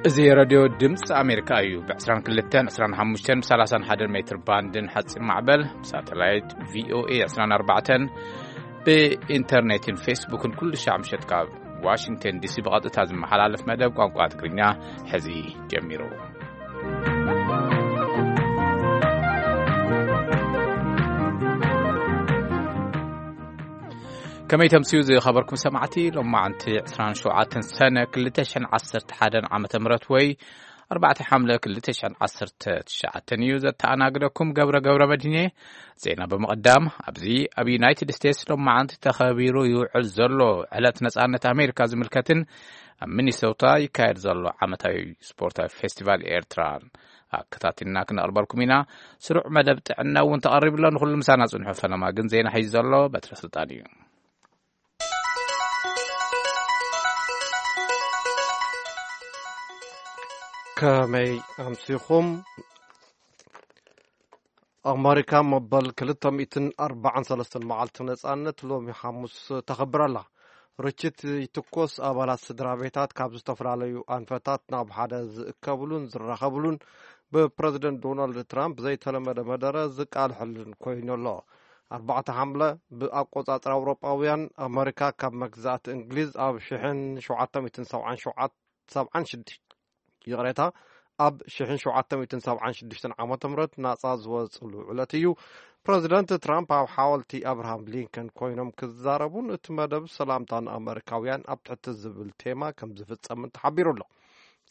እዚ ሬድዮ ድምፂ ኣሜሪካ እዩ። ብ22፣ 25፣ 31 ሜትር ባንድን ሓፂር ማዕበል ሳተላይት ቪኦኤ 24፣ ብኢንተርኔትን ፌስቡክን ኩሉ ሻዕ ምሸት ካብ ዋሽንግተን ዲሲ ብቐጥታ ዝመሓላለፍ መደብ ቋንቋ ትግርኛ ሕዚ ጀሚሩ። ከመይ ተምስዩ ዝኸበርኩም ሰማዕቲ፣ ሎማዓንቲ 27 ሰነ 2011 ዓመተ ምህረት ወይ 4 ሓምለ 2019 እዩ። ዘተኣናግደኩም ገብረ ገብረ መድህኔ። ዜና ብምቕዳም፣ ኣብዚ ኣብ ዩናይትድ ስቴትስ ሎማዓንቲ ተኸቢሩ ይውዕል ዘሎ ዕለት ነጻነት ኣሜሪካ ዝምልከትን ኣብ ሚኒሶታ ይካየድ ዘሎ ዓመታዊ ስፖርታዊ ፌስቲቫል ኤርትራን ኣከታቲልና ክነቕርበልኩም ኢና። ስሩዕ መደብ ጥዕና እውን ተቐሪቡ ኣሎ። ንኹሉ ምሳና ጽንሑ። ፈለማ ግን ዜና ሒዙ ዘሎ በትረ ስልጣን እዩ። ከመይ ኣምሲኹም? ኣመሪካ መበል 243 መዓልቲ ነጻነት ሎሚ ሓሙስ ተኸብር ኣላ። ርችት ይትኮስ፣ ኣባላት ስድራ ቤታት ካብ ዝተፈላለዩ ኣንፈታት ናብ ሓደ ዝእከብሉን ዝራኸብሉን፣ ብፕረዚደንት ዶናልድ ትራምፕ ዘይተለመደ መደረ ዝቃልሐሉን ኮይኑ ኣሎ። ኣርባዕተ ሓምለ ብኣቆጻጽራ ኣውሮጳውያን፣ ኣመሪካ ካብ መግዛእቲ እንግሊዝ ኣብ ሽሕን ሸውዓተ ሚእትን ሰብዓን ሸውዓተ፣ ሰብዓን ሽዱሽተ፣ ይቕሬታ፣ ኣብ ሽሕን ሸውዓተ ሚእትን ሰብዓን ሽዱሽተን ዓመተ ምህረት ናጻ ዝወጽሉ ዕለት እዩ። ፕረዚደንት ትራምፕ ኣብ ሓወልቲ ኣብርሃም ሊንከን ኮይኖም ክዛረቡን እቲ መደብ ሰላምታ ንኣመሪካውያን ኣብ ትሕቲ ዝብል ቴማ ከም ዝፍጸምን ተሓቢሩ ኣሎ።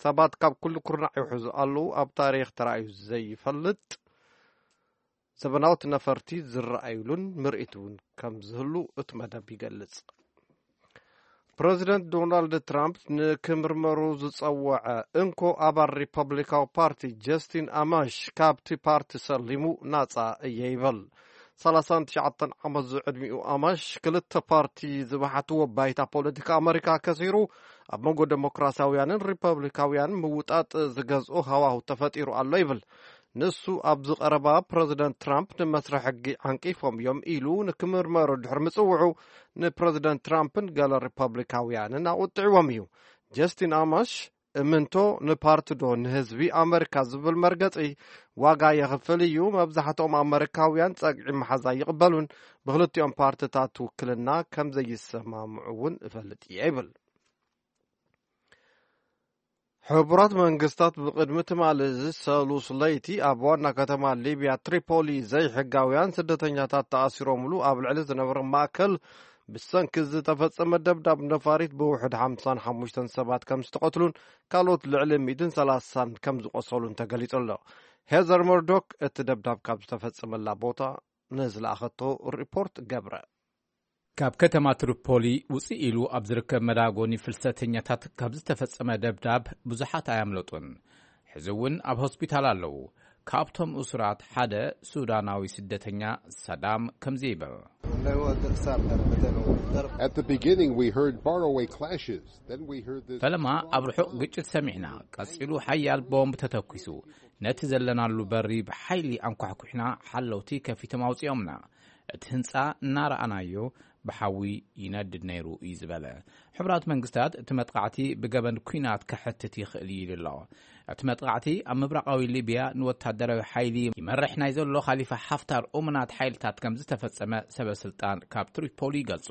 ሰባት ካብ ኩሉ ኩርናዕ ይውሕዙ ኣለዉ። ኣብ ታሪኽ ተራእዩ ዘይፈልጥ ዘበናውት ነፈርቲ ዝረኣዩሉን ምርኢት እውን ከም ዝህሉ እቲ መደብ ይገልጽ። ፕረዚደንት ዶናልድ ትራምፕ ንክምርመሩ ዝጸወዐ እንኮ ኣባል ሪፐብሊካዊ ፓርቲ ጀስቲን ኣማሽ ካብቲ ፓርቲ ሰሊሙ ናጻ እየ ይበል። 39 ዓመት ዝዕድሚኡ ኣማሽ ክልተ ፓርቲ ዝበሓትዎ ባይታ ፖለቲካ ኣመሪካ ከሲሩ ኣብ መንጎ ዴሞክራሲያውያንን ሪፐብሊካውያንን ምውጣጥ ዝገዝኦ ሃዋሁ ተፈጢሩ ኣሎ ይብል። ንሱ ኣብዚ ቀረባ ፕረዚደንት ትራምፕ ንመስርሒ ሕጊ ዓንቂፎም እዮም ኢሉ ንክምርመሩ ድሕሪ ምጽውዑ ንፕረዚደንት ትራምፕን ገለ ሪፐብሊካውያንን ኣቑጥዕዎም እዩ። ጀስቲን ኣማሽ እምንቶ ንፓርቲ ዶ ንህዝቢ ኣመሪካ ዝብል መርገጺ ዋጋ የኽፍል እዩ። መብዛሕትኦም ኣመሪካውያን ጸግዒ መሓዝ ኣይቕበሉን። ብክልቲኦም ፓርትታት ውክልና ከም ዘይሰማምዑ እውን እፈልጥ እየ ይብል። ሕቡራት መንግስታት ብቕድሚ ትማሊ እዚ ሰሉስ ለይቲ ኣብ ዋና ከተማ ሊብያ ትሪፖሊ ዘይሕጋውያን ስደተኛታት ተኣሲሮምሉ ኣብ ልዕሊ ዝነበረ ማእከል ብሰንኪ ዝተፈጸመ ደብዳብ ነፋሪት ብውሕድ ሓምሳን ሓሙሽተን ሰባት ከም ዝተቐትሉን ካልኦት ልዕሊ ሚእትን ሰላሳን ከም ዝቖሰሉን ተገሊጹ ኣሎ። ሄዘር መርዶክ እቲ ደብዳብ ካብ ዝተፈጸመላ ቦታ ንዝለኣኸቶ ሪፖርት ገብረ። ካብ ከተማ ትሪፖሊ ውፅእ ኢሉ ኣብ ዝርከብ መዳጎኒ ፍልሰተኛታት ካብ ዝተፈጸመ ደብዳብ ብዙሓት ኣያምለጡን። ሕዚ እውን ኣብ ሆስፒታል ኣለዉ። ካብቶም እሱራት ሓደ ሱዳናዊ ስደተኛ ሰዳም ከምዚ ይብል። At the beginning, we heard faraway clashes. Then we heard this ፈለማ ኣብ ርሑቕ ግጭት ሰሚዕና። ቀጺሉ ሓያል ቦምብ ተተኲሱ። ነቲ ዘለናሉ በሪ ብሓይሊ ኣንኳሕኩሕና፣ ሓለውቲ ከፊቶም ኣውጺኦምና። እቲ ህንጻ እናረኣናዮ ብሓዊ ይነድድ ነይሩ እዩ ዝበለ። ሕቡራት መንግስታት እቲ መጥቃዕቲ ብገበን ኲናት ከሕትት ይኽእል እዩ ኢሉ ኣሎ። እቲ መጥቃዕቲ ኣብ ምብራቓዊ ሊብያ ንወታደራዊ ሓይሊ ይመርሕ ናይ ዘሎ ካሊፋ ሓፍታር እሙናት ሓይልታት ከም ዝተፈጸመ ሰበ ስልጣን ካብ ትሪፖሊ ይገልጹ።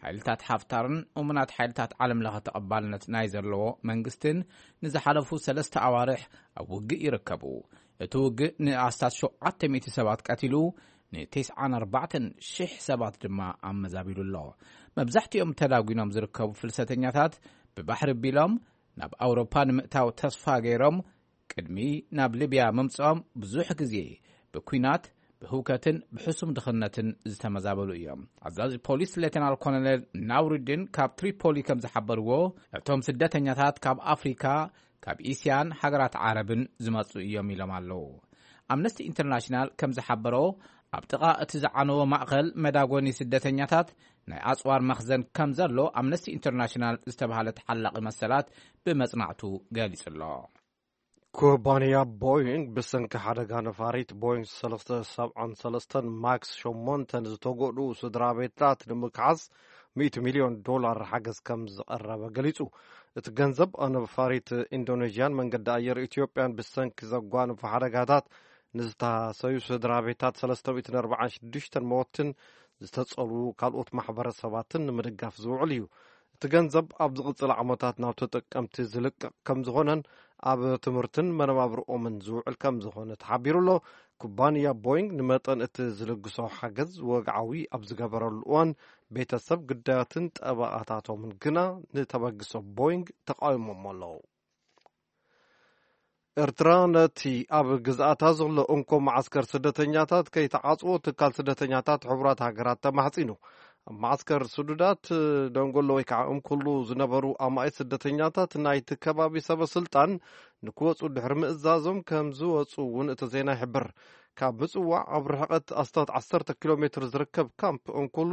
ሓይልታት ሓፍታርን እሙናት ሓይልታት ዓለም ለኸ ተቐባልነት ናይ ዘለዎ መንግስትን ንዝሓለፉ ሰለስተ ኣዋርሕ ኣብ ውግእ ይርከቡ። እቲ ውግእ ንኣስታት ሸውዓተ ሚእቲ ሰባት ቀቲሉ፣ ን94,000 ሰባት ድማ ኣመዛቢሉ ኣሎ። መብዛሕትኦም ተዳጒኖም ዝርከቡ ፍልሰተኛታት ብባሕሪ ቢሎም ናብ ኣውሮፓ ንምእታው ተስፋ ገይሮም ቅድሚ ናብ ሊብያ ምምጽኦም ብዙሕ ግዜ ብኲናት፣ ብህውከትን ብሕሱም ድኽነትን ዝተመዛበሉ እዮም። ኣዛዚ ፖሊስ ሌተናል ኮሎኔል ናውሪዲን ካብ ትሪፖሊ ከም ዝሓበርዎ፣ እቶም ስደተኛታት ካብ ኣፍሪካ፣ ካብ እስያን ሃገራት ዓረብን ዝመጹ እዮም ኢሎም ኣለዉ። ኣምነስቲ ኢንተርናሽናል ከም ዝሓበሮ፣ ኣብ ጥቓ እቲ ዝዓነወ ማእኸል መዳጎኒ ስደተኛታት ናይ ኣጽዋር መኽዘን ከም ዘሎ ኣምነስቲ ኢንተርናሽናል ዝተባህለ ተሓላቒ መሰላት ብመጽናዕቱ ገሊጹ ኣሎ። ኩባንያ ቦይንግ ብሰንኪ ሓደጋ ነፋሪት ቦይንግ ሰለስተ ሰብዓን ሰለስተን ማክስ ሸሞንተ ዝተጎድኡ ስድራ ቤታት ንምክሓስ ሚእቲ ሚልዮን ዶላር ሓገዝ ከም ዝቐረበ ገሊጹ። እቲ ገንዘብ ኣብ ነፋሪት ኢንዶኔዥያን መንገዲ ኣየር ኢትዮጵያን ብሰንኪ ዘጓንፉ ሓደጋታት ንዝተሃሰዩ ስድራ ቤታት ሰለስተ ሚእትን ኣርባዓን ሽዱሽተን መወትን ዝተጸልዉ ካልኦት ማሕበረሰባትን ንምድጋፍ ዝውዕል እዩ። እቲ ገንዘብ ኣብ ዝቕጽል ዓመታት ናብ ተጠቀምቲ ዝልቀቕ ከም ዝኾነን ኣብ ትምህርትን መነባብርኦምን ዝውዕል ከም ዝኾነ ተሓቢሩ ኣሎ። ኩባንያ ቦይንግ ንመጠን እቲ ዝልግሶ ሓገዝ ወግዓዊ ኣብ ዝገበረሉ እዋን፣ ቤተሰብ ግዳያትን ጠበቓታቶምን ግና ንተበግሶ ቦይንግ ተቓዊሞሞ ኣለዉ። ኤርትራ ነቲ ኣብ ግዝኣታ ዘሎ እንኮ መዓስከር ስደተኛታት ከይተዓጽዎ ትካል ስደተኛታት ሕቡራት ሃገራት ተማሕጺኑ። ኣብ መዓስከር ስዱዳት ደንጎሎ ወይ ከዓ እንኩሉ ዝነበሩ ኣማኢት ስደተኛታት ናይቲ ከባቢ ሰበ ስልጣን ንክወጹ ድሕሪ ምእዛዞም ከም ዝወጹ እውን እቲ ዜና ይሕብር። ካብ ምጽዋዕ ኣብ ርሕቀት ኣስታት ዓሰርተ ኪሎ ሜትር ዝርከብ ካምፕ እንኩሉ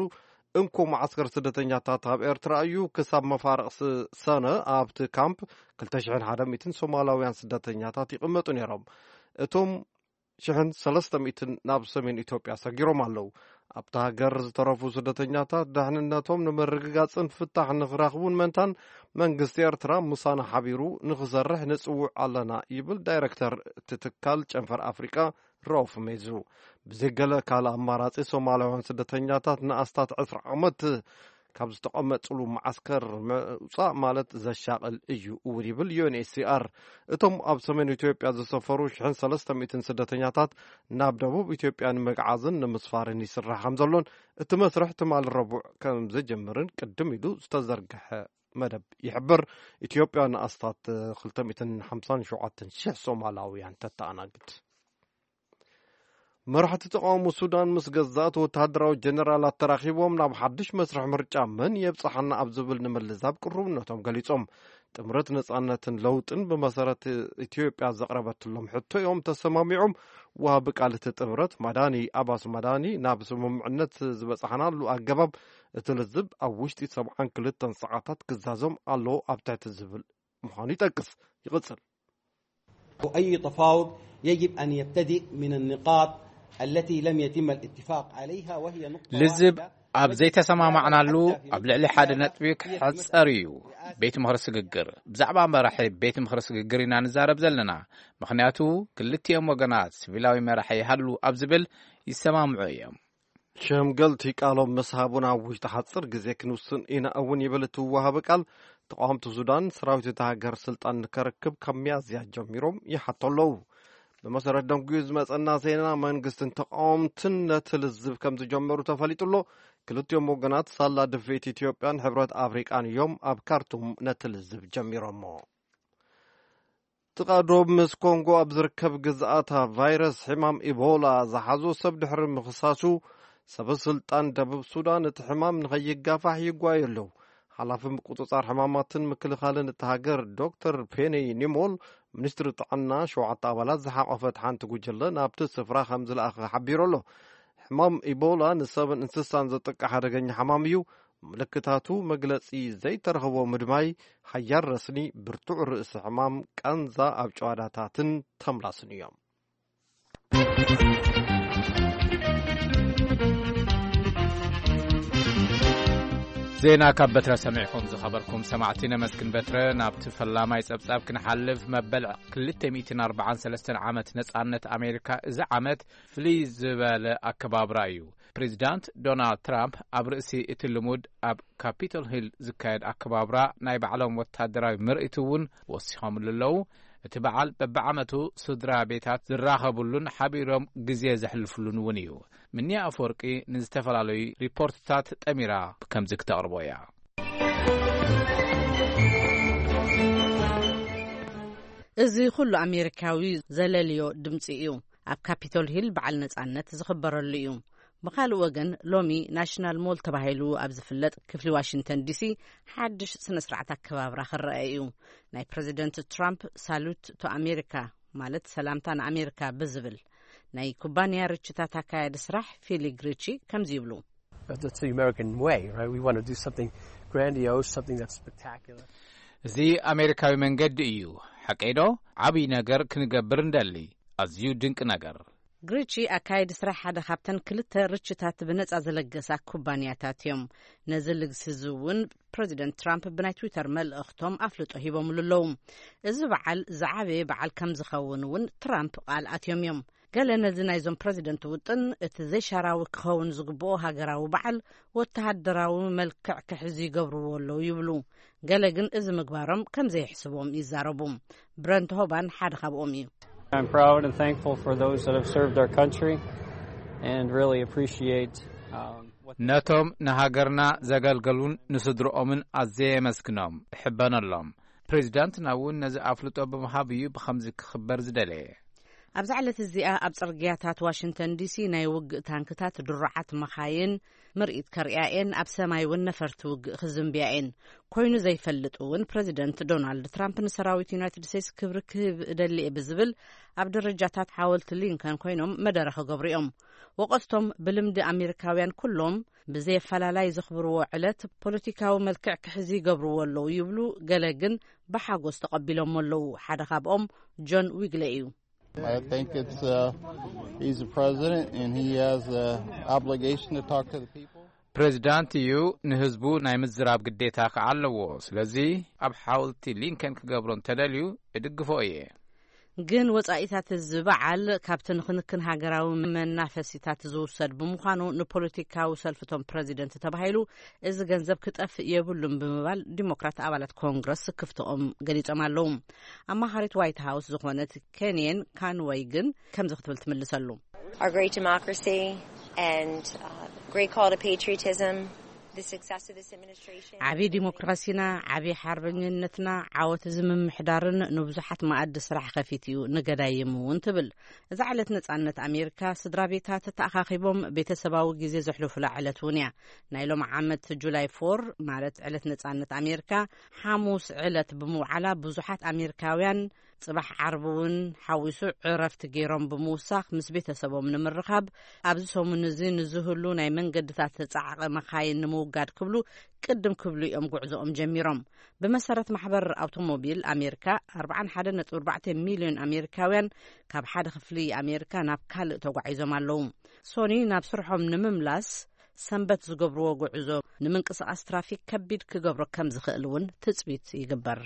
እንኮ መዓስከር ስደተኛታት ኣብ ኤርትራ እዩ። ክሳብ መፋርቕ ስ-፣ ሰነ ኣብቲ ካምፕ ክልተ ሽሕን ሓደ ሚእትን ሶማላውያን ስደተኛታት ይቕመጡ ነይሮም። እቶም ሽሕን ሰለስተ ሚእትን ናብ ሰሜን ኢትዮጵያ ሰጊሮም ኣለዉ። ኣብታ ሃገር ዝተረፉ ስደተኛታት ደሕንነቶም ንምርግጋጽን ፍታሕ ንኽረኽቡን መንታን መንግስቲ ኤርትራ ምሳና ሓቢሩ ንኽሰርሕ ንጽውዕ ኣለና ይብል ዳይረክተር እቲ ትካል ጨንፈር ኣፍሪቃ ራውፍ ሜዙ። ብዘይ ገለ ካልእ ኣማራጺ ሶማላውያን ስደተኛታት ንኣስታት ዕስራ ዓመት ካብ ዝተቐመጥሉ መዓስከር ምውጻእ ማለት ዘሻቕል እዩ እውን ይብል ዩ ኤን ኤች ሲ ኣር። እቶም ኣብ ሰሜን ኢትዮጵያ ዝሰፈሩ ሽሕን ሰለስተ ሚእትን ስደተኛታት ናብ ደቡብ ኢትዮጵያ ንምግዓዝን ንምስፋርን ይስራሕ ከም ዘሎን እቲ መስርሕ ትማሊ ረቡዕ ከም ዝጅምርን ቅድም ኢሉ ዝተዘርግሐ መደብ ይሕብር። ኢትዮጵያ ንኣስታት ክልተ ሚእትን ሓምሳን ሸውዓተን ሽሕ ሶማላውያን ተተኣናግድ። መራሕቲ ተቃውሞ ሱዳን ምስ ገዛእቲ ወተሃደራዊ ጀነራላት ተራኺቦም ናብ ሓድሽ መስርሕ ምርጫ መን የብጽሓና ኣብ ዝብል ንምልዛብ ቅሩብነቶም ገሊጾም። ጥምረት ነጻነትን ለውጥን ብመሰረት ኢትዮጵያ ዘቕረበትሎም ሕቶ እዮም ተሰማሚዖም። ወሃቢ ቃል እቲ ጥምረት ማዳኒ ኣባስ ማዳኒ ናብ ስምምዕነት ዝበጻሕናሉ ኣገባብ እቲ ልዝብ ኣብ ውሽጢ ሰብዓን ክልተን ሰዓታት ክዛዘም ኣለዎ ኣብ ትሕቲ ዝብል ምዃኑ ይጠቅስ። ይቕጽል። أي تفاوض يجب أن يبتدئ من النقاط التي لم يتم الاتفاق عليها، وهي نقطة ልዝብ واحدة ኣብ ዘይተሰማማዕናሉ ኣብ ልዕሊ ሓደ ነጥቢ ክሕጸር እዩ። ቤት ምኽሪ ስግግር፣ ብዛዕባ መራሒ ቤት ምኽሪ ስግግር ኢና ንዛረብ ዘለና። ምኽንያቱ ክልቲኦም ወገናት ሲቪላዊ መራሒ ይሃሉ ኣብ ዝብል ይሰማምዑ እዮም። ሸምገልቲ ቃሎም ምስ ሃቡን ኣብ ውሽጢ ሓጽር ግዜ ክንውስን ኢና እውን ይብል እቲ ወሃቢ ቃል። ተቃወምቲ ሱዳን ሰራዊት እታ ሃገር ስልጣን ንከረክብ ካብ ሚያዝያ ጀሚሮም ይሓቶ ኣለዉ። ብመሰረት ደንጉዩ ዝመጸና ዜና መንግስትን ተቃወምትን ነቲ ልዝብ ከም ዝጀመሩ ተፈሊጡ ኣሎ። ክልቲኦም ወገናት ሳላ ድፍኢት ኢትዮጵያን ሕብረት ኣፍሪቃን እዮም ኣብ ካርቱም ነቲ ልዝብ ጀሚሮሞ። ጥቓ ዶብ ምስ ኮንጎ ኣብ ዝርከብ ግዝኣታ ቫይረስ ሕማም ኢቦላ ዝሓዞ ሰብ ድሕሪ ምኽሳሱ፣ ሰበ ስልጣን ደቡብ ሱዳን እቲ ሕማም ንኸይጋፋሕ ይጓዩ ኣለዉ። ሓላፊ ምቁጽጻር ሕማማትን ምክልኻልን እቲ ሃገር ዶክተር ፔኒ ኒሞል፣ ሚኒስትሪ ጥዕና ሸውዓተ ኣባላት ዝሓቆፈት ሓንቲ ጉጅለ ናብቲ ስፍራ ከም ዝለኣኸ ሓቢሩ ኣሎ። ሕማም ኢቦላ ንሰብን እንስሳን ዘጥቅዕ ሓደገኛ ሕማም እዩ። ምልክታቱ መግለጺ ዘይተረኽቦ ምድማይ፣ ሓያል ረስኒ፣ ብርቱዕ ርእሲ ሕማም፣ ቃንዛ ኣብ ጨዋዳታትን ተምላስን እዮም። ዜና ካብ በትረ ሰሚዕኩም ዝኸበርኩም ሰማዕቲ ነመስግን በትረ። ናብቲ ፈላማይ ጸብጻብ ክንሓልፍ፣ መበል ክልተ ሚእትን ኣርባዓን ሰለስተን ዓመት ነጻነት ኣሜሪካ እዚ ዓመት ፍልይ ዝበለ ኣከባብራ እዩ። ፕሬዚዳንት ዶናልድ ትራምፕ ኣብ ርእሲ እቲ ልሙድ ኣብ ካፒቶል ሂል ዝካየድ ኣከባብራ ናይ ባዕሎም ወታደራዊ ምርኢት እውን ወሲኾምሉ ኣለዉ። እቲ በዓል በብዓመቱ ስድራ ቤታት ዝራኸብሉን ሓቢሮም ግዜ ዘሕልፍሉን እውን እዩ። ምንያ ኣፈወርቂ ንዝተፈላለዩ ሪፖርትታት ጠሚራ ከምዚ ክተቕርቦ እያ። እዚ ኩሉ ኣሜሪካዊ ዘለልዮ ድምጺ እዩ። ኣብ ካፒቶል ሂል በዓል ነጻነት ዝኽበረሉ እዩ። ብኻልእ ወገን ሎሚ ናሽናል ሞል ተባሂሉ ኣብ ዝፍለጥ ክፍሊ ዋሽንግተን ዲሲ ሓድሽ ስነ ስርዓት ኣከባብራ ክረአ እዩ። ናይ ፕረዚደንት ትራምፕ ሳሉት ቱ ኣሜሪካ ማለት ሰላምታ ንኣሜሪካ ብዝብል ናይ ኩባንያ ርችታት ኣካያዲ ስራሕ ፊሊግ ሪቺ ከምዚ ይብሉ። But that's the American way, right? We want to do something grandiose, something that's spectacular. እዚ ኣሜሪካዊ መንገዲ እዩ። ሓቀይዶ? ዓብዪ ነገር ክንገብር እንደሊ። ኣዝዩ ድንቂ ነገር። ግሪቺ ኣካየዲ ስራሕ ሓደ ካብተን ክልተ ርችታት ብነጻ ዘለገሳ ኩባንያታት እዮም። ነዚ ልግሲ እዚ እውን ፕረዚደንት ትራምፕ ብናይ ትዊተር መልእኽቶም ኣፍልጦ ሂቦምሉ ኣለዉ። እዚ በዓል ዝዓበየ በዓል ከም ዝኸውን እውን ትራምፕ ቃል ኣትዮም እዮም። ገለ ነዚ ናይዞም ፕረዚደንት ውጥን እቲ ዘይሻራዊ ክኸውን ዝግብኦ ሃገራዊ በዓል ወተሃደራዊ መልክዕ ክሕዙ ይገብርዎ ኣለዉ ይብሉ። ገለ ግን እዚ ምግባሮም ከም ዘይሕስብዎም ይዛረቡ። ብረንት ሆባን ሓደ ካብኦም እዩ። I'm proud and thankful for those that have served our country and really appreciate, um, what ነቶም ንሃገርና ዘገልገሉን ንስድርኦምን ኣዝየ የመስግኖም፣ እሕበነሎም። ፕሬዚዳንትና እውን ነዚ ኣፍልጦ ብምሃብ እዩ ብኸምዚ ክኽበር ዝደለየ። ኣብዛ ዕለት እዚኣ ኣብ ጽርግያታት ዋሽንግተን ዲሲ ናይ ውግእ ታንክታት፣ ድሩዓት መኻይን፣ ምርኢት ከርእያ እየን፣ ኣብ ሰማይ እውን ነፈርቲ ውግእ ክዝንብያ እየን። ኮይኑ ዘይፈልጥ እውን ፕረዚደንት ዶናልድ ትራምፕ ንሰራዊት ዩናይትድ ስቴትስ ክብሪ ክህብ እደሊ እየ ብዝብል ኣብ ደረጃታት ሓወልቲ ሊንከን ኮይኖም መደረ ክገብሩ እዮም። ወቀስቶም ብልምዲ ኣሜሪካውያን ኩሎም ብዘየፈላላይ ዘኽብርዎ ዕለት ፖለቲካዊ መልክዕ ክሕዚ ይገብርዎ ኣለዉ ይብሉ፣ ገለ ግን ብሓጎስ ተቐቢሎሞ ኣለዉ። ሓደ ካብኦም ጆን ዊግለ እዩ። I think it's, uh, he's the president and he has the obligation to talk to the people. ፕሬዚዳንት እዩ፣ ንህዝቡ ናይ ምዝራብ ግዴታ ከዓ ኣለዎ። ስለዚ ኣብ ሓወልቲ ሊንከን ክገብሮ እንተደልዩ እድግፎ እየ። ግን ወጻኢታት እዚ በዓል ካብቲ ንክንክን ሃገራዊ መናፈሲታት ዝውሰድ ብምዃኑ ንፖለቲካዊ ሰልፍቶም ፕረዚደንት ተባሂሉ እዚ ገንዘብ ክጠፍእ የብሉን ብምባል ዲሞክራት ኣባላት ኮንግረስ ክፍትኦም ገሊጾም ኣለዉ። ኣማኻሪት ዋይት ሃውስ ዝኾነት ኬንየን ካንወይ ግን ከምዚ ክትብል ትምልሰሉ። Our great democracy and, uh, great call to patriotism. The success of this administration. ዓብዪ ዲሞክራሲና፣ ዓብዪ ሓርበኝነትና፣ ዓወት እዚ ምምሕዳርን ንብዙሓት መኣዲ ስራሕ ከፊት እዩ፣ ንገዳይም እውን ትብል። እዛ ዕለት ነጻነት ኣሜሪካ ስድራ ቤታት ተኣኻኺቦም ቤተሰባዊ ግዜ ዘሕልፉላ ዕለት እውን እያ። ናይ ሎም ዓመት ጁላይ ፎር ማለት ዕለት ነጻነት ኣሜሪካ ሓሙስ ዕለት ብምውዓላ ብዙሓት ኣሜሪካውያን ጽባሕ ዓርቢ እውን ሓዊሱ ዕረፍቲ ገይሮም ብምውሳኽ ምስ ቤተሰቦም ንምርኻብ ኣብዚ ሰሙን እዚ ንዝህሉ ናይ መንገድታት ጻዕቒ መኻይን ንምውጋድ ክብሉ ቅድም ክብሉ እዮም ጉዕዞኦም ጀሚሮም። ብመሰረት ማሕበር ኣውቶሞቢል ኣሜሪካ ኣርባዓን ሓደን ነጥቢ ኣርባዕተ ሚልዮን ኣሜሪካውያን ካብ ሓደ ክፍሊ ኣሜሪካ ናብ ካልእ ተጓዒዞም ኣለዉ። ሶኒ ናብ ስርሖም ንምምላስ ሰንበት ዝገብርዎ ጉዕዞ ንምንቅስቓስ ትራፊክ ከቢድ ክገብሮ ከም ዝኽእል እውን ትጽቢት ይግበር።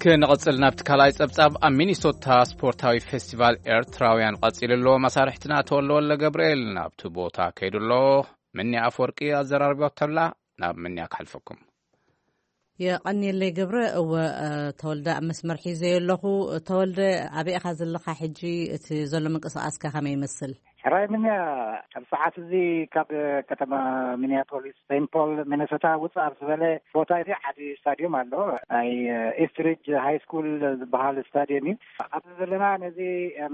ክንቕጽል ናብቲ ካልኣይ ጸብጻብ። ኣብ ሚኒሶታ ስፖርታዊ ፌስቲቫል ኤርትራውያን ቀጺሉ ኣሎ። መሳርሕትና ተወልደ ወልደ ገብርኤል ናብቲ ቦታ ከይዱ ኣሎ። ምንያ ኣፈወርቂ ኣዘራርቦ ተላ። ናብ ምንያ ክሓልፈኩም። የቐንየለይ ገብረ። እወ፣ እ፣ ተወልደ ኣብ መስመር ሒዘዮ ኣለኹ። ተወልደ፣ ኣበይ ኢኻ ዘለኻ ሕጂ? እቲ ዘሎ ምንቅስቓስከ ከመይ ይመስል? ሕራይ ምንያ፣ ኣብ ሰዓት እዚ ካብ ከተማ ሚኒያፖሊስ ሴንት ፖል ሚነሶታ ውፅእ ኣብ ዝበለ ቦታ እዚ ዓቢ ስታዲየም ኣሎ። ናይ ኢስትሪጅ ሃይ ስኩል ዝበሃል ስታዲየም እዩ። ኣብዚ ዘለና ነዚ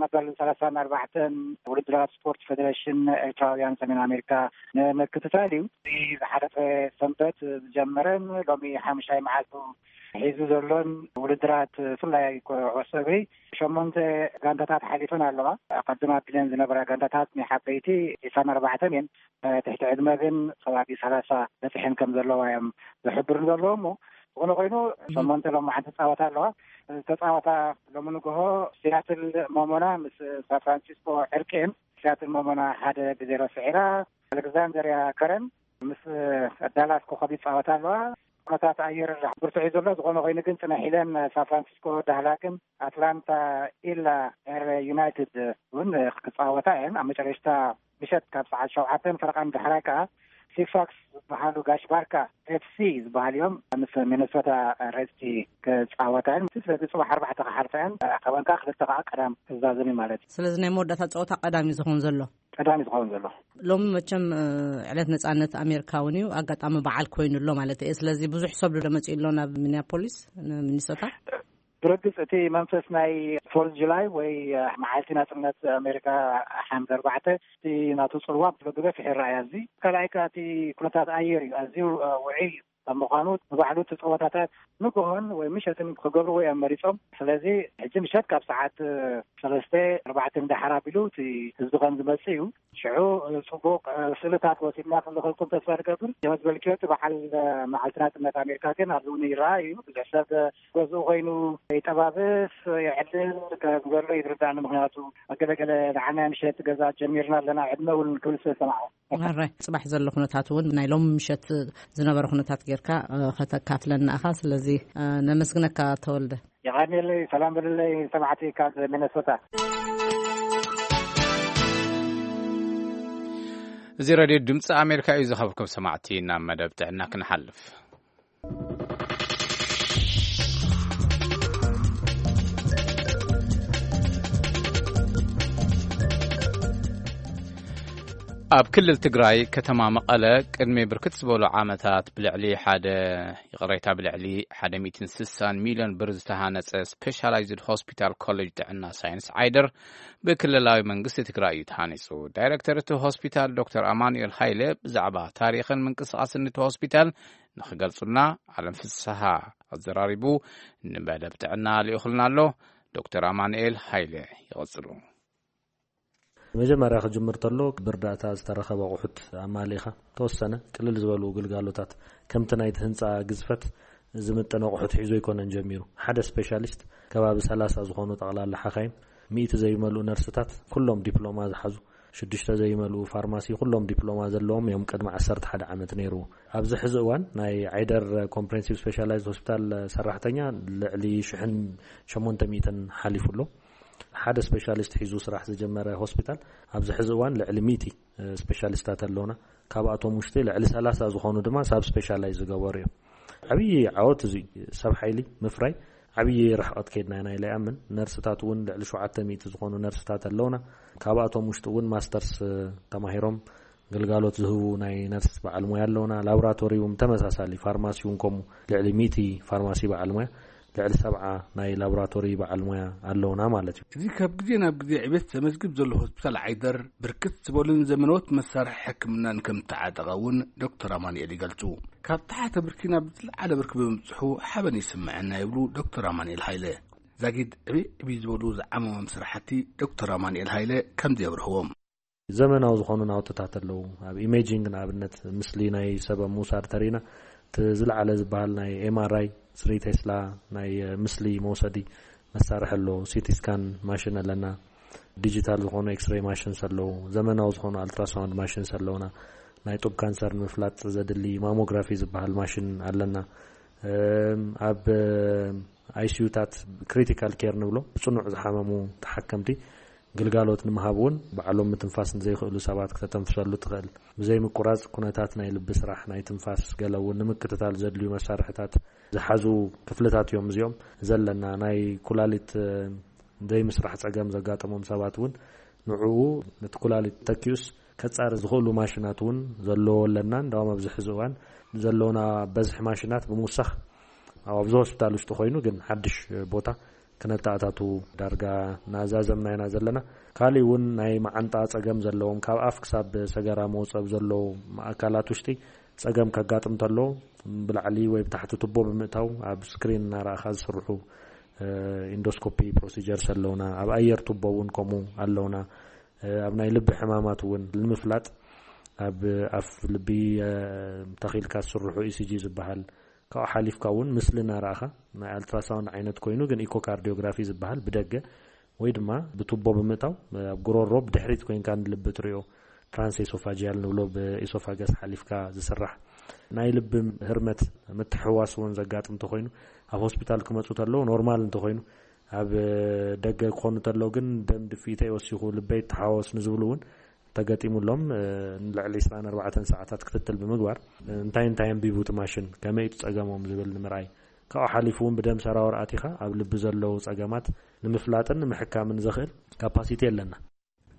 መበል ሰላሳን ኣርባዕተን ውድድራት ስፖርት ፌዴሬሽን ኤርትራውያን ሰሜን ኣሜሪካ ንምክትታል እዩ። እዚ ዝሓለፈ ሰንበት ዝጀመረን ሎሚ ሓሙሻይ መዓልቱ ሒዙ ዘሎን ውድድራት ብፍላይ ኩዕሶ እግሪ ሸሞንተ ጋንታታት ሓሊፈን ኣለዋ። ኣቐድም ኣቢለን ዝነበራ ጋንታታት ናይ ዓበይቲ ዒስራን ኣርባዕተን እየን። ትሕቲ ዕድመ ግን ከባቢ ሰላሳ በፅሐን ከም ዘለዋ እዮም ዝሕብሩ ዘለዉ። እሞ ዝኾነ ኮይኑ ሸሞንተ ሎማዓንቲ ፃወታ ኣለዋ። ዝተፃወታ ሎሚ ንግሆ ሲያትል ሞሞና ምስ ሳን ፍራንሲስኮ ዕርቂ እየን። ሲያትል ሞሞና ሓደ ብዜሮ ስዒራ። ኣሌክዛንደርያ ከረን ምስ ዳላስ ኮኸብ ይፃወታ ኣለዋ። ኩነታት ኣየር ብርቱዕ እዩ ዘሎ። ዝኾነ ኮይኑ ግን ፅንሕ ኢለን ሳን ፍራንሲስኮ ዳህላክን ኣትላንታ ኢላ ኤር ዩናይትድ እውን ክፃወታ እየን። ኣብ መጨረሽታ ምሸት ካብ ሰዓት ሸውዓተን ፈረቓን ዳሕራይ ከዓ ሲፋክስ ዝበሃሉ ጋሽ ባርካ ኤፍሲ ዝበሃል እዮም ምስ ሚነሶታ ሬድሲ ክፃወታ እየን። ስለዚ ፅባሕ ኣርባዕተ ክሓልፋ እየን። ካብአን ከዓ ክልተ ከዓ ቀዳም ክዛዘም እዩ ማለት እዩ። ስለዚ ናይ መወዳእታ ፀወታ ቀዳም እዩ ዝኸውን ዘሎ። ቀዳም እዩ ዝኸውን ዘሎ። ሎሚ መቸም፣ እ፣ ዕለት ነጻነት ኣሜሪካ እውን እዩ። ኣጋጣሚ በዓል ኮይኑ ኣሎ ማለት እየ። ስለዚ ብዙሕ ሰብ ዶ መፂኡ ኣሎ ናብ ሚኒያፖሊስ፣ ሚኒሶታ? ብርግፅ እቲ መንፈስ ናይ ፎርዝ ጁላይ ወይ፣ እ፣ መዓልቲ ናፅነት ኣሜሪካ ሓምለ ኣርባዕተ እቲ ናቱ ፅልዋ ብብዝሒ ይረኣያ። እዚ ካልኣይ ከዓ እቲ ኩነታት ኣየር እዩ። ኣዝዩ፣ እ፣ ውዑይ እዩ። ኣብ ምዃኑ፣ ንባዕሉ እቲ ጸወታታት ንግሆን ወይ ምሸትን ክገብርዎ እዮም መሪጾም። ስለዚ ሕጂ ምሸት ካብ ሰዓት ሰለስተ ኣርባዕተ ንዳሓር ኣቢሉ እቲ ህዝቢ ከም ዝመጽእ እዩ። ሽዑ ጽቡቕ ስእልታት ወሲድና ክንልእኸልኩም ተስፋ ንገብር። ከም ዝበልክዮ እቲ በዓል መዓልቲ ናጽነት ኣሜሪካ ግን ኣብዚ እውን ይረኣ እዩ። ብዙሕ ሰብ ገዝኡ ኮይኑ ይጠባብስ፣ ይዕልል ከም ዘሎ ይርዳእኒ። ምኽንያቱ ገለገለ ንዓና ምሸት ገዛ ጀሚርና ኣለና፣ ዕድመ እውን ክብል ስለ ሰማዕኩ። ኣራይ፣ ጽባሕ ዘሎ ኩነታት እውን ናይ ሎም ምሸት ዝነበረ ኩነታት ጌርካ፣ እ፣ ከተካፍለና ኢኻ። ስለዚ፣ እ፣ ነመስግነካ ተወልደ። የቐንየለይ፣ ሰላም በልለይ ሰማዕቲ ካብ ሚነሶታ። እዚ ሬድዮ ድምፂ ኣሜሪካ እዩ። ዝኸበርኩም ሰማዕቲ፣ ናብ መደብ ጥዕና ክንሓልፍ። ኣብ ክልል ትግራይ ከተማ መቐለ ቅድሚ ብርክት ዝበሉ ዓመታት ብልዕሊ ሓደ፣ ይቕሬታ፣ ብልዕሊ ሓደ ሚእትን ስሳን ሚልዮን ብር ዝተሃነጸ ስፔሻላይዝድ ሆስፒታል ኮሌጅ ጥዕና ሳይንስ ዓይደር ብክልላዊ መንግስቲ ትግራይ እዩ ተሃኒጹ። ዳይሬክተር እቲ ሆስፒታል ዶክተር ኣማኑኤል ሃይለ ብዛዕባ ታሪኽን ምንቅስቓስን እቲ ሆስፒታል ንኽገልጹልና፣ ዓለም ፍስሃ ኣዘራሪቡ ንመደብ ጥዕና ልኢኹልና ኣሎ። ዶክተር ኣማኑኤል ሃይለ ይቐጽሉ። መጀመርያ ክጅምር ተሎ፣ ብእርዳእታ ዝተረኸበ ኣቑሑት ኣማሊእኻ፣ ተወሰነ ቅልል ዝበሉ ግልጋሎታት ከምቲ ናይቲ ህንፃ ግዝፈት ዝምጥን ኣቑሑት ሒዙ ኣይኮነን ጀሚሩ። ሓደ ስፔሻሊስት፣ ከባቢ ሰላሳ ዝኾኑ ጠቕላላ ሓኻይም፣ ሚእቲ ዘይመልኡ ነርስታት፣ ኩሎም ዲፕሎማ ዝሓዙ፣ ሽዱሽተ ዘይመልኡ ፋርማሲ፣ ኩሎም ዲፕሎማ ዘለዎም እዮም። ቅድሚ ዓሰርተ ሓደ ዓመት ነይሩ። ኣብዚ ሕዚ እዋን ናይ ዓይደር ኮምፕሬንሲቭ ስፔሻላይዝድ ሆስፒታል ሰራሕተኛ ልዕሊ ሽሕን ሸሞንተ ሚእትን ሓሊፉ ኣሎ። ሓደ ስፔሻሊስት ሒዙ ስራሕ ዝጀመረ ሆስፒታል፣ ኣብዚ ሕዚ እዋን ልዕሊ ሚእቲ ስፔሻሊስታት ኣለውና። ካብኣቶም ውሽጢ ልዕሊ ሰላሳ ዝኾኑ ድማ ሳብ ስፔሻላይዝ ዝገበሩ እዮም። ዓብዪ ዓወት እዚ ሰብ ሓይሊ ምፍራይ ዓብዪ ርሕቐት ከይድና ኢና ኢለ ይኣምን። ነርስታት እውን ልዕሊ ሸውዓተ ሚእቲ ዝኾኑ ነርስታት ኣለውና። ካብኣቶም ውሽጢ እውን ማስተርስ ተማሂሮም ግልጋሎት ዝህቡ ናይ ነርስ በዓል ሞያ ኣለውና። ላቦራቶሪ እውን ተመሳሳሊ፣ ፋርማሲ እውን ከምኡ፣ ልዕሊ ሚእቲ ፋርማሲ በዓል ሞያ፣ ልዕሊ ሰብዓ ናይ ላቦራቶሪ በዓል ሞያ ኣለውና ማለት እዩ። እዚ ካብ ግዜ ናብ ግዜ ዕቤት ዘመዝግብ ዘሎ ሆስፒታል ዓይደር፣ ብርክት ዝበሉን ዘመናዎት መሳርሒ ሕክምናን ከም ተዓጠቐ እውን ዶክተር ኣማኑኤል ይገልጹ። ካብ ተሓተ ብርኪ ናብ ዝለዓለ ብርኪ ብምብጽሑ ሓበን ይስምዐና ይብሉ ዶክተር ኣማኑኤል ሃይለ። ዛጊድ ዕብይ ዕብይ ዝበሉ ዝዓመሞም ስራሕቲ ዶክተር ኣማኑኤል ሃይለ ከምዚ የብርህዎም። ዘመናዊ ዝኾኑ ናውትታት ኣለዉ። ኣብ ኢሜጂንግ ንኣብነት፣ ምስሊ ናይ ሰብ ኣብ ምውሳድ ተሪና፣ እቲ ዝለዓለ ዝበሃል ናይ ኤም ኣር ኣይ፣ ስሪ ቴስላ ናይ፣ እ፣ ምስሊ መውሰዲ መሳርሒ ኣሎ። ሲቲ ስካን ማሽን ኣለና። ዲጂታል ዝኾኑ ኤክስሬይ ማሽንስ ኣለዉ። ዘመናዊ ዝኾኑ ኣልትራሳውንድ ማሽንስ ኣለዉና። ናይ ጡብ ካንሰር ንምፍላጥ ዘድሊ ማሞግራፊ ዝበሃል ማሽን ኣለና። እም፣ ኣብ፣ እ፣ ኣይ ሲ ዩታት፣ ክሪቲካል ኬር ንብሎ፣ ጽኑዕ ዝሓመሙ ተሓከምቲ ግልጋሎት ንምሃብ እውን፣ ባዕሎም ምትንፋስ ንዘይኽእሉ ሰባት ክተተንፍሰሉ ትኽእል። ብዘይ ምቁራጽ ኩነታት ናይ ልቢ ስራሕ፣ ናይ ትንፋስ፣ ገለ እውን ንምክትታል ዘድልዩ መሳርሕታት ዝሓዙ ክፍልታት እዮም እዚኦም። ዘለና ናይ ኩላሊት፣ እ፣ ዘይምስራሕ ጸገም ዘጋጠሞም ሰባት እውን ንዕኡ፣ ነቲ ኩላሊት ተኪኡስ ከጻሪ ዝኽእሉ ማሽናት እውን ዘለዎ ኣለና። እንዳውም ኣብዚ ሕዚ እዋን ዘሎና በዝሒ ማሽናት ብምውሳኽ፣ ኣብ፣ ኣብዚ ሆስፒታል ውሽጢ ኮይኑ ግን ሓድሽ ቦታ ክነተኣታቱ ዳርጋ እናዛዘምና ኢና ዘለና። ካሊእ እውን ናይ መዓንጣ ጸገም ዘለዎም፣ ካብ ኣፍ ክሳብ ሰገራ መውጸብ ዘለዎም ኣካላት ውሽጢ ጸገም ከጋጥም ተሎ፣ ብላዕሊ ወይ ብታሕቲ ቱቦ ብምእታው ኣብ ስክሪን እናረኣኻ ዝስርሑ፣ እ፣ ኢንዶስኮፒ ፕሮሲጀርስ ኣለውና። ኣብ ኣየር ቱቦ እውን ከምኡ ኣለውና። እ፣ ኣብ ናይ ልቢ ሕማማት እውን ንምፍላጥ ኣብ ኣፍ ልቢ፣ እ፣ ተኺልካ ዝስርሑ ኢ ሲ ጂ ዝበሃል፣ ካብኡ ሓሊፍካ እውን ምስሊ እናረኣኻ፣ ናይ ኣልትራሳውንድ ዓይነት ኮይኑ ግን ኢኮካርዲዮግራፊ ዝበሃል ብደገ ወይ ድማ ብቱቦ ብምእታው፣ ኣብ ጉሮሮ ብድሕሪት ኮይንካ ንልቢ ትሪኦ፣ ትራንስ ኤሶፋጂያል ንብሎ፣ ብኤሶፋገስ ሓሊፍካ ዝስራሕ፣ ናይ ልቢ ህርመት ምትሕዋስ እውን ዘጋጥም እንተኾይኑ፣ ኣብ ሆስፒታል ክመፁ ተለዉ ኖርማል እንተኾይኑ፣ ኣብ ደገ ክኾኑ ተለዉ ግን ደም ድፍኢተይ ወሲኹ፣ ልበይ ተሓወስ ንዝብሉ እውን ተገጢሙሎም፣ እ፣ ንልዕሊ ዕስራን ኣርባዕተን ሰዓታት ክትትል ብምግባር፣ እ፣ እንታይ እንታይ ኣንቢቡ እቲ ማሽን፣ ከመይ እቲ ጸገሞም ዝብል ንምርኣይ፣ ካብኡ ሓሊፉ እውን ብደም ሰራወር ኣቲኻ ኣብ ልቢ ዘለዉ ጸገማት ንምፍላጥን ንምሕካምን ዘኽእል ካፓሲቲ ኣለና።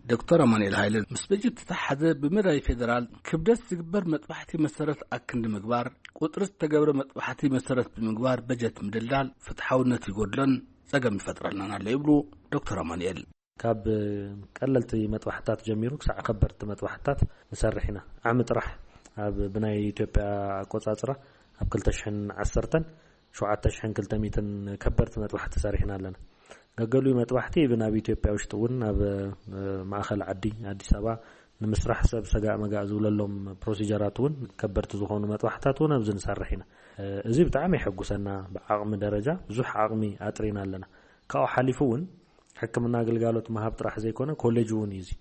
ዶክተር ኣማኑኤል ሃይለ፣ ምስ በጀት ዝተተሓዘ ብመዳይ ፌደራል ክብደት ዝግበር መጥባሕቲ መሰረት ኣክንዲ ምግባር፣ ቁጽሪ ዝተገብረ መጥባሕቲ መሰረት ብምግባር በጀት ምድልዳል ፍትሓውነት ይጎድሎን ጸገም ይፈጥረልናን ኣሎ ይብሉ ዶክተር ኣማኑኤል። ካብ ቀለልቲ መጥባሕታት ጀሚሩ ክሳዕ ከበድቲ መጥባሕታት ንሰርሕ ኢና። ዓሚ ጥራሕ ኣብ ብናይ ኢትዮጵያ ኣቆጻጽራ ኣብ ክልተ ሽሕን ዓሰርተን ሸውዓተ ሽሕን ክልተ ሚእትን ከበድቲ መጥባሕቲ ሰሪሕና ኣለና። ገገሉ መጥባሕቲ ብናብ ኢትዮጵያ ውሽጢ እውን ናብ ማእኸል ዓዲ ኣዲስ ኣበባ ንምስራሕ ሰብ ሰጋእ መጋእ ዝብለሎም ፕሮሲጀራት እውን ከበድቲ ዝኾኑ መጥባሕታት እውን ኣብዚ ንሰርሕ ኢና። እዚ ብጣዕሚ የሐጉሰና። ብዓቕሚ ደረጃ ብዙሕ ዓቕሚ ኣጥሪና ኣለና። ካብኡ ሓሊፉ እውን ሕክምና ኣገልጋሎት ምሃብ ጥራሕ ዘይኮነ ኮሌጅ እውን እዩ። እዚ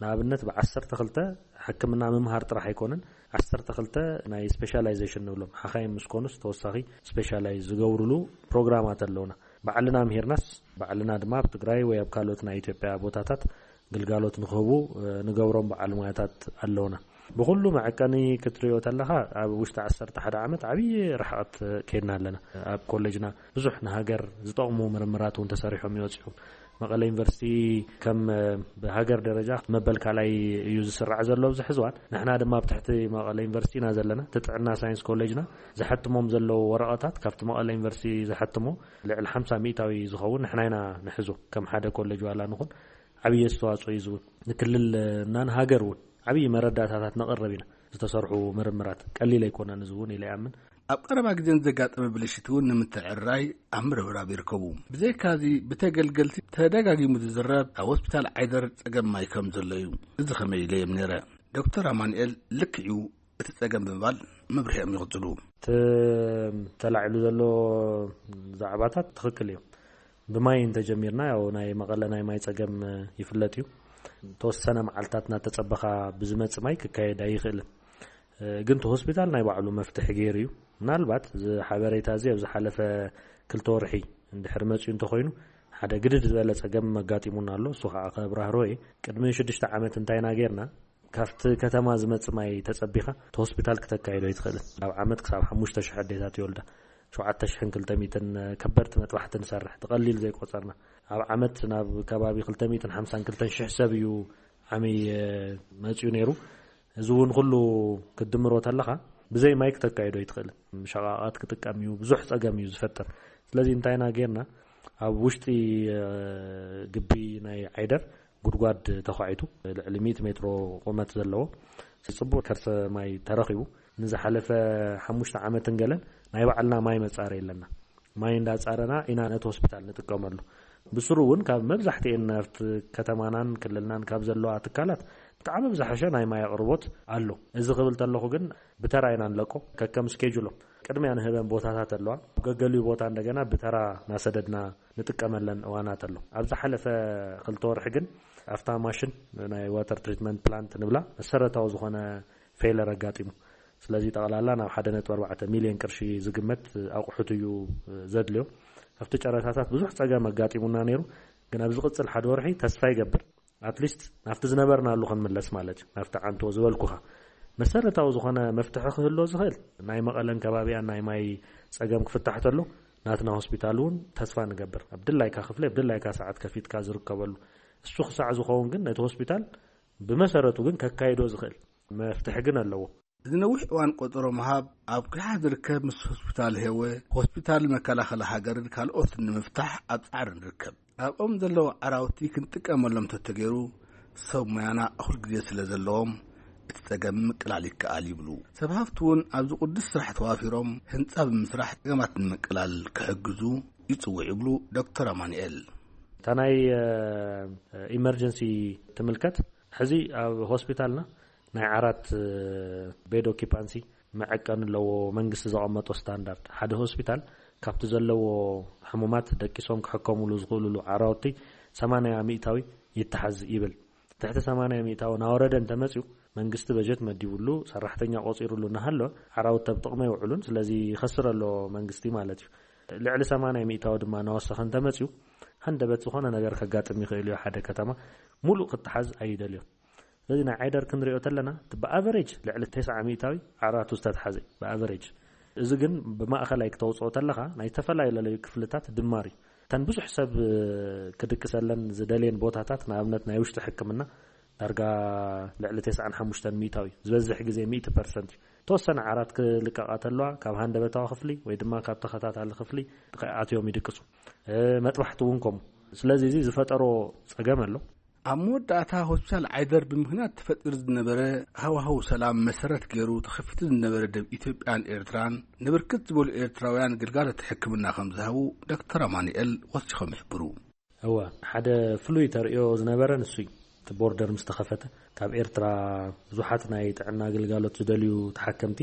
ንኣብነት ብ12 ሕክምና ምምሃር ጥራሕ ኣይኮነን። ዓሰርተ ክልተ ናይ ስፔሻላይዜሽን ንብሎም ሓኻይም ምስ ኮኑስ ተወሳኺ ስፔሻላይዝ ዝገብሩሉ ፕሮግራማት ኣለውና። ባዕልና ምሂርናስ ባዕልና ድማ ኣብ ትግራይ ወይ ኣብ ካልኦት ናይ ኢትዮጵያ ቦታታት ግልጋሎት ንክህቡ ንገብሮም በዓል ሞያታት ኣለውና። ብኩሉ መዐቀኒ ክትሪኦ ተለኻ ኣብ ውሽጢ ዓሰርተ ሓደ ዓመት ዓብዪ ርሕቐት ከይድና ኣለና። ኣብ ኮሌጅና ብዙሕ ንሃገር ዝጠቕሙ ምርምራት እውን ተሰሪሖም ይወፅኦም። መቐለ ዩኒቨርሲቲ ከም ብሃገር ደረጃ መበል ካልኣይ እዩ ዝስራዕ ዘሎ ኣብዚ ሕዝዋን። ንሕና ድማ ኣብ ትሕቲ መቐለ ዩኒቨርሲቲ ኢና ዘለና። እቲ ጥዕና ሳይንስ ኮሌጅና ዝሐትሞም ዘለዉ ወረቐታት ካብቲ መቐለ ዩኒቨርሲቲ ዝሐትሞ ልዕሊ ሓምሳ ሚእታዊ ዝኸውን ንሕና ኢና ንሕዞ። ከም ሓደ ኮሌጅ ዋላ ንኹን ዓብዪ ኣስተዋፅኦ እዩ ዝውን። ንክልልና ንሃገር እውን ዓብዪ መረዳእታታት ነቕርብ ኢና። ዝተሰርሑ ምርምራት ቀሊል ኣይኮነን። እዚ እውን ኢለ ይኣምን። ኣብ ቀረባ ግዜ ዘጋጠመ ብልሽት እውን ንምትዕርራይ ኣብ ምርብራብ ይርከቡ። ብዘይካዚ ብተገልገልቲ ተደጋጊሙ ዝዝረብ ኣብ ሆስፒታል ዓይደር ጸገም ማይ ከም ዘሎ እዩ። እዚ ከመይ ኢለ እዮም ነይረ። ዶክተር ኣማኑኤል ልክዕ እዩ እቲ ጸገም ብምባል መብርሂኦም ይቕጽሉ። እቲ ተላዒሉ ዘሎ ዛዕባታት ትኽክል እዮም። ብማይ እንተጀሚርና ያው ናይ መቐለ ናይ ማይ ጸገም ይፍለጥ እዩ። ተወሰነ መዓልታት እናተጸበኻ ብዝመጽእ ማይ ክካየድ ኣይኽእልን። ግን እቲ ሆስፒታል ናይ ባዕሉ መፍትሒ ገይሩ እዩ። ምናልባት እዚ ሓበሬታ እዚ ኣብ ዝሓለፈ ክልተ ወርሒ እንድሕር መጺኡ እንተኾይኑ ሓደ ግድድ ዝበለ ጸገም ኣጋጢሙና ኣሎ። እሱ ከዓ ከብራህሮ እየ። ቅድሚ ሽዱሽተ ዓመት እንታይ ኢና ጌርና? ካብቲ ከተማ ዝመጽእ ማይ ተጸቢኻ እቲ ሆስፒታል ክተካይዶ ኣይትኽእልን። ኣብ ዓመት ክሳብ ሓሙሽተ ሽሕ ኣዴታት ይወልዳ። ሸውዓተ ሽሕን ክልተ ሚእትን ከበድቲ መጥባሕቲ ንሰርሕ። እቲ ቀሊል ዘይቆጸርና። ኣብ ዓመት ናብ ከባቢ ክልተ ሚእትን ሓምሳን ክልተን ሽሕ ሰብ እዩ ዓሚ መጺኡ ነይሩ። እዚ እውን ኩሉ ክትድምሮ ተለኻ ብዘይ ማይ ክተካይዶ ኣይትኽእልን። ሸቓቓት ክጥቀም እዩ፣ ብዙሕ ጸገም እዩ ዝፈጥር። ስለዚ እንታይ ኢና ጌርና? ኣብ ውሽጢ ግቢ ናይ ዓይደር ጉድጓድ ተዃዒቱ ልዕሊ ሚእቲ ሜትሮ ቁመት ዘለዎ ጽቡቕ ከርሰ ማይ ተረኺቡ። ንዝሓለፈ ሓሙሽተ ዓመትን ገለን ናይ ባዕልና ማይ መጻረይ ኣለና። ማይ እንዳጻረና ኢና ነቲ ሆስፒታል ንጥቀመሉ። ብስሩ እውን ካብ መብዛሕትኤን ናብቲ ከተማናን ክልልናን ካብ ዘለዋ ትካላት ብጣዕሚ ብዝሓሸ ናይ ማይ ኣቕርቦት ኣሎ። እዚ ክብል ተለኹ ግን ብተራ ኢና ንለቆ፣ ከከም ስኬጁሎም። ቅድሚያ ንህበን ቦታታት ኣለዋ። ኣብ ገገሊኡ ቦታ እንደገና ብተራ ናሰደድና ንጥቀመለን እዋናት ኣሎ። ኣብ ዝሓለፈ ክልተ ወርሒ ግን ኣብታ ማሽን ናይ ዋተር ትሪትመንት ፕላንት ንብላ መሰረታዊ ዝኾነ ፌለር ኣጋጢሙ። ስለዚ ጠቕላላ ናብ ሓደ ነጥቢ ኣርባዕተ ሚልዮን ቅርሺ ዝግመት ኣቑሑት እዩ ዘድልዮ። ኣብቲ ጨረታታት ብዙሕ ጸገም ኣጋጢሙና ነይሩ፣ ግን ኣብ ዝቕጽል ሓደ ወርሒ ተስፋ ይገብር ኣትሊስት ናብቲ ዝነበርናሉ ክንምለስ ማለት እዩ። ናብቲ ዓንቶ ዝበልኩኻ መሰረታዊ ዝኾነ መፍትሒ ክህሎ ዝኽእል ናይ መቐለን ከባቢኣን ናይ ማይ ጸገም ክፍታሕ ተሎ ናትና ሆስፒታል እውን ተስፋ ንገብር። ኣብ ድላይካ ክፍሊ ኣብ ድላይካ ሰዓት ከፊትካ ዝርከበሉ እሱ ክሳዕ ዝኸውን ግን ነቲ ሆስፒታል ብመሰረቱ ግን ከካይዶ ዝኽእል መፍትሒ ግን ኣለዎ። እዚ ነዊሕ እዋን ቆጸሮ ምሃብ ኣብ ኲሓ ዝርከብ ምስ ሆስፒታል ሄወ፣ ሆስፒታል መከላኸሊ ሃገርን ካልኦትን ንምፍታሕ ኣብ ጻዕሪ ንርከብ። ኣብኦም ዘለዉ ዓራውቲ ክንጥቀመሎም ተተገይሩ ሰብ ሙያና ኩል ግዜ ስለ ዘለዎም እቲ ጸገም ምቅላል ይከኣል ይብሉ። ሰብ ሃፍቲ እውን ኣብዚ ቅዱስ ስራሕ ተዋፊሮም ህንጻ ብምስራሕ ጸገማት ንምቅላል ክሕግዙ ይጽውዕ ይብሉ ዶክተር ኣማኑኤል። እታ ናይ ኢመርጀንሲ ትምልከት ሕዚ ኣብ ሆስፒታልና ናይ ዓራት ቤድ ኦኪፓንሲ መዐቀኒ ኣለዎ። መንግስቲ ዘቐመጦ ስታንዳርድ ሓደ ሆስፒታል ካብቲ ዘለዎ ሕሙማት ደቂሶም ክሕከሙሉ ዝኽእሉሉ ዓራውቲ ሰማንያ ሚእታዊ ይተሓዝ ይብል። ትሕቲ ሰማንያ ሚእታዊ ናወረደ እንተመፅዩ መንግስቲ በጀት መዲቡሉ ሰራሕተኛ ቆፂሩሉ እናሃለወ ዓራውቲ ኣብ ጥቕሚ ኣይውዕሉን። ስለዚ ይኸስር ኣሎ መንግስቲ ማለት እዩ። ልዕሊ ሰማንያ ሚእታዊ ድማ እናወሰኸ እንተመፅዩ ሃንደበት ዝኾነ ነገር ከጋጥም ይኽእል እዩ። ሓደ ከተማ ሙሉእ ክተሓዝ ኣይደልዮን። ስለዚ ናይ ዓይደር ክንሪኦ ተለና እቲ ብኣቨሬጅ ልዕሊ ተስዓ ሚእታዊ ዓራቱ ዝተትሓዘ እዩ ብኣቨሬጅ። እዚ ግን ብማእኸላይ ክተውፅኦ ተለኻ ናይ ዝተፈላለዩ ክፍልታት ድማር እዩ። እተን ብዙሕ ሰብ ክድቅሰለን ዝደልየን ቦታታት ንኣብነት ናይ ውሽጢ ሕክምና ዳርጋ ልዕሊ ተስዓን ሓሙሽተን ሚእታዊ ዝበዝሕ ግዜ ሚእቲ ፐርሰንት እዩ። ተወሰነ ዓራት ክልቀቓ ተለዋ ካብ ሃንደበታዊ ክፍሊ ወይ ድማ ካብ ተኸታታሊ ክፍሊ ኣትዮም ይድቅሱ። መጥባሕቲ እውን ከምኡ። ስለዚ እዚ ዝፈጠሮ ፀገም ኣሎ። ኣብ መወዳእታ ሆስፒታል ዓይደር ብምኽንያት ተፈጢሩ ዝነበረ ሃዋህው ሰላም መሰረት ገይሩ ተኸፊቱ ዝነበረ ደብ ኢትዮጵያን ኤርትራን ንብርክት ዝበሉ ኤርትራውያን ግልጋሎት ሕክምና ከም ዝሃቡ ዶክተር ኣማኑኤል ወሲኾም ይሕብሩ። እወ፣ ሓደ ፍሉይ ተርእዮ ዝነበረ ንሱ እዩ። እቲ ቦርደር ምስ ተኸፈተ ካብ ኤርትራ ብዙሓት ናይ ጥዕና ግልጋሎት ዝደልዩ ተሓከምቲ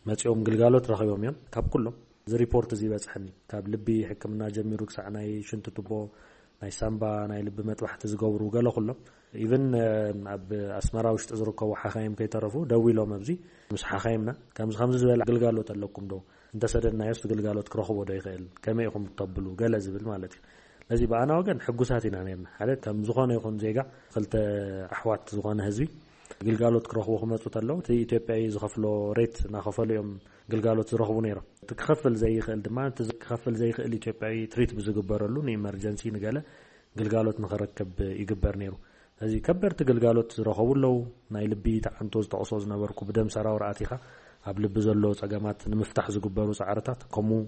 መጺኦም ግልጋሎት ረኺቦም እዮም። ካብ ኩሎም እዚ ሪፖርት እዚ ይበጽሐኒ፣ ካብ ልቢ ሕክምና ጀሚሩ ክሳዕ ናይ ሽንቲ ቱቦ፣ ናይ ሳምባ፣ ናይ ልቢ መጥባሕቲ ዝገብሩ ገለ ኩሎም፣ ኢቭን ኣብ ኣስመራ ውሽጢ ዝርከቡ ሓኻይም ከይተረፉ ደዊሎም ኣብዚ ምስ ሓኻይምና ከምዚ ከምዚ ዝበለ ግልጋሎት ኣለኩም ዶ፣ እንተሰደድናዮስ እቲ ግልጋሎት ክረኽቦ ዶ ይኽእል፣ ከመይ ኢኹም እተብሉ፣ ገለ ዝብል ማለት እዩ። ስለዚ ብኣና ወገን ሕጉሳት ኢና ነርና። ሓደ ከም ዝኾነ ይኹን ዜጋ፣ ክልተ ኣሕዋት ዝኾነ ህዝቢ ግልጋሎት ክረኽቡ ክመፁ ተለዉ እቲ ኢትዮጵያ ዝኸፍሎ ሬት እናኸፈሉ እዮም ግልጋሎት ዝረኽቡ ነይሮም። እቲ ክኸፍል ዘይኽእል ድማ፣ እቲ ክኸፍል ዘይኽእል ኢትዮጵያዊ ትሪት ብዝግበረሉ ንኢመርጀንሲ ንገለ ግልጋሎት ንኽረክብ ይግበር ነይሩ። እዚ ከበድቲ ግልጋሎት ዝረኸቡ ኣለዉ። ናይ ልቢ ተዓንቶ ዝጠቕሶ ዝነበርኩ ብደም ሰራውር ኣቲኻ ኣብ ልቢ ዘሎ ጸገማት ንምፍታሕ ዝግበሩ ጻዕርታት ከምኡ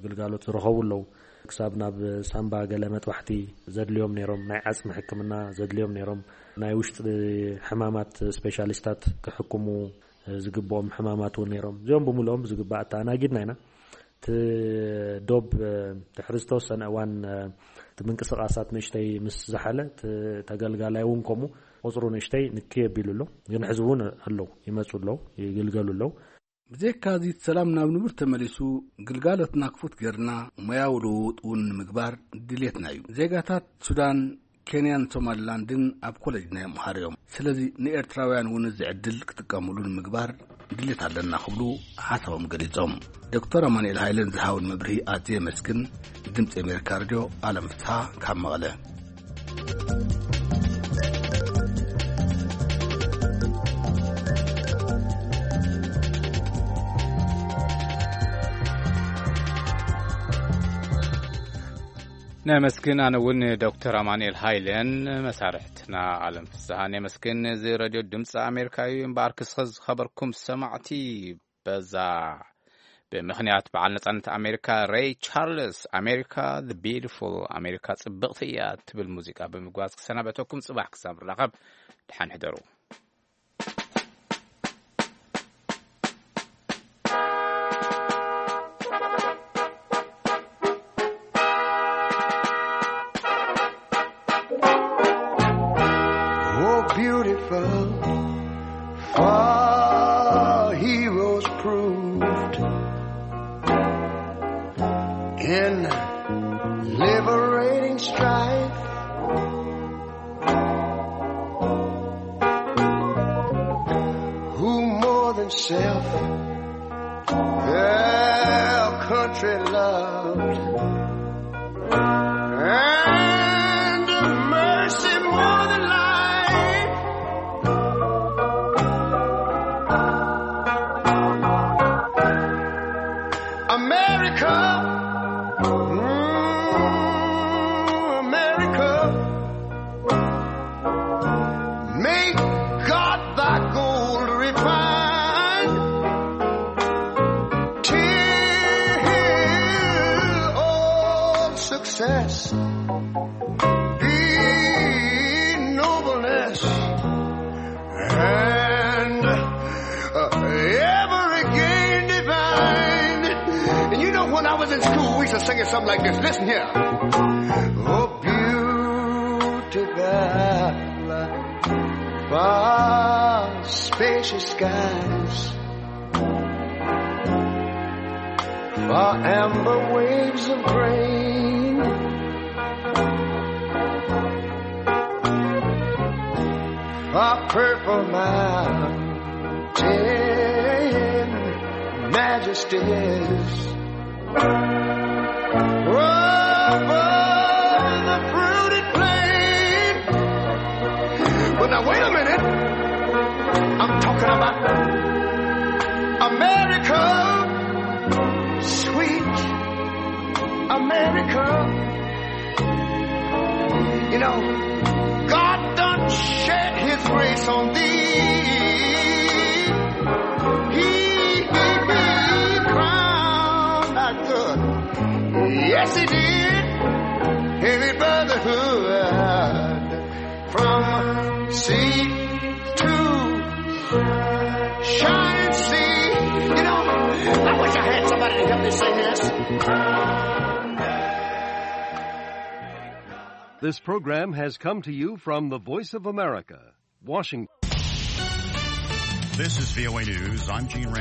ግልጋሎት ዝረኸቡ ኣለዉ። ክሳብ ናብ ሳምባ ገለ መጥባሕቲ ዘድልዮም ነይሮም፣ ናይ ዓጽሚ ሕክምና ዘድልዮም ነይሮም፣ ናይ ውሽጢ ሕማማት ስፔሻሊስታት ክሕክሙ ዝግብኦም ሕማማት እውን ነይሮም። እዚኦም ብምልኦም ብዝግባእ ኣተኣናጊድና ኢና። እቲ ዶብ ድሕሪ ዝተወሰነ እዋን እቲ ምንቅስቃሳት ንእሽተይ ምስ ዝሓለ እቲ ተገልጋላይ እውን ከምኡ ቁፅሩ ንእሽተይ ንክይ ኣቢሉ ኣሎ። ግን ሕዚ እውን ኣለዉ፣ ይመፁ ኣለዉ፣ ይግልገሉ ኣለዉ። ብዘይካ እዚ እቲ ሰላም ናብ ንቡር ተመሊሱ ግልጋሎትና ክፉት ገርና ሞያዊ ልውውጥ እውን ንምግባር ድሌትና እዩ። ዜጋታት ሱዳን፣ ኬንያን ሶማሊላንድን ኣብ ኮሌጅና ይምሃሩ እዮም። ስለዚ ንኤርትራውያን እውን እዚ ዕድል ክጥቀምሉ ንምግባር ድሌት ኣለና ክብሉ ሓሳቦም ገሊጾም። ዶክተር ኣማኑኤል ሃይለን ዝሃውን መብርሂ ኣዝየ የመስግን። ድምፂ ኣሜሪካ ሬድዮ፣ ኣለም ፍስሓ ካብ መቐለ። ነመስግን። ኣነ እውን ዶክተር ኣማኑኤል ሃይለን መሳርሕትና ኣለም ፍስሃን የመስግን። እዚ ሬድዮ ድምፂ ኣሜሪካ እዩ። እምበኣር ክስኸ ዝኸበርኩም ሰማዕቲ፣ በዛ ብምኽንያት በዓል ነጻነት ኣሜሪካ፣ ሬይ ቻርልስ ኣሜሪካ፣ the beautiful ኣሜሪካ ጽብቕቲ እያ ትብል ሙዚቃ ብምግባዝ ክሰናበተኩም። ጽባሕ ክሳብ ንራኸብ፣ ደሓን ሕደሩ። Oh, beautiful, for heroes proved in liberating strife, who more than self their country loved, and mercy more than life. America, mm, America, may God thy gold refine, till all success be nobleness and, uh, ever again divine. And you know, when I was in school, we used to sing it something like this. Listen here. Oh, beautiful, far spacious skies, far amber waves of grain, far purple mountain majesties, over the fruited plain. But now wait a minute. I'm talking about America, sweet America. You know, God done shed his grace on thee. He gave me crown of good. Yes, he did. Heavy brotherhood from This program has come to you from the Voice of America, Washington. This is V O A News. I'm Gene Rand.